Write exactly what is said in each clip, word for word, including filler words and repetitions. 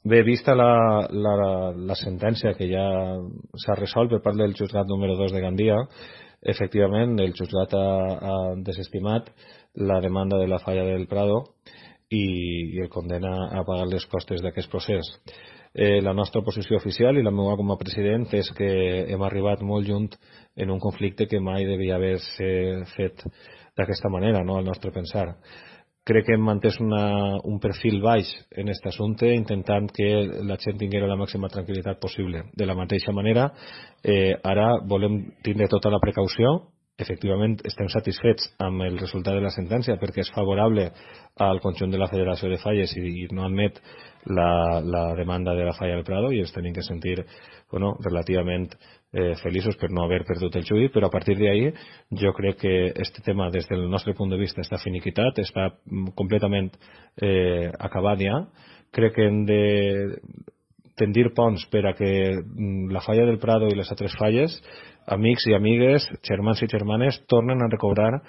Bé, vista la, la, la sentència que ja s'ha resolt per part del jutjat número dos de Gandia, efectivament el jutjat ha, ha desestimat la demanda de la falla del Prado i, i el condena a pagar les costes d'aquest procés. Eh, la nostra posició oficial i la meva com a president és que hem arribat molt junt en un conflicte que mai devia haver-se fet d'aquesta manera, no, al nostre pensar. Crec que hem mantès una, un perfil baix en aquest assumpte, intentant que la gent tinguera la màxima tranquil·litat possible. De la mateixa manera, eh, ara volem tindre tota la precaució. Efectivament, estem satisfets amb el resultat de la sentència perquè és favorable al conjunt de la Federació de Falles i, i no admet la, la demanda de la falla del Prado i ens tenim que sentir bueno, relativament eh, feliços per no haver perdut el juí, però a partir d'ahí jo crec que este tema des del nostre punt de vista està finiquitat, està completament eh, acabat ja. Crec que hem de tendir ponts per a que la falla del Prado i les altres falles, amics i amigues, germans i germanes, tornen a recobrar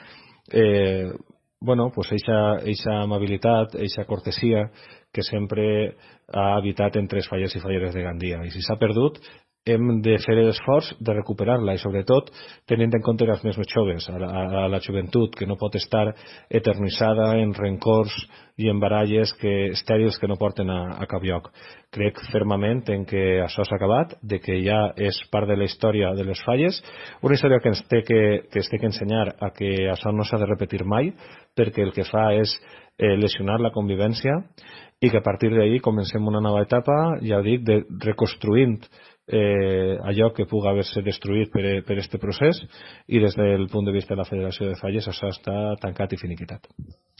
eh, bueno, pues eixa, eixa amabilitat, eixa cortesia que sempre ha habitat entre els fallers i falleres de Gandia. I si s'ha perdut, hem de fer l'esforç de recuperar-la i sobretot tenint en compte els més joves, a la, a la joventut que no pot estar eternitzada en rencors i en baralles que, estèrils que no porten a, a cap lloc. Crec fermament en que això s'ha acabat, de que ja és part de la història de les falles, una història que ens té que, que es té que ensenyar a que això no s'ha de repetir mai, perquè el que fa és eh, lesionar la convivència i que a partir d'ahir comencem una nova etapa, ja ho dic, de reconstruint eh, allò que pugui haver-se destruït per, per este procés i des del punt de vista de la Federació de Falles això està tancat i finiquitat.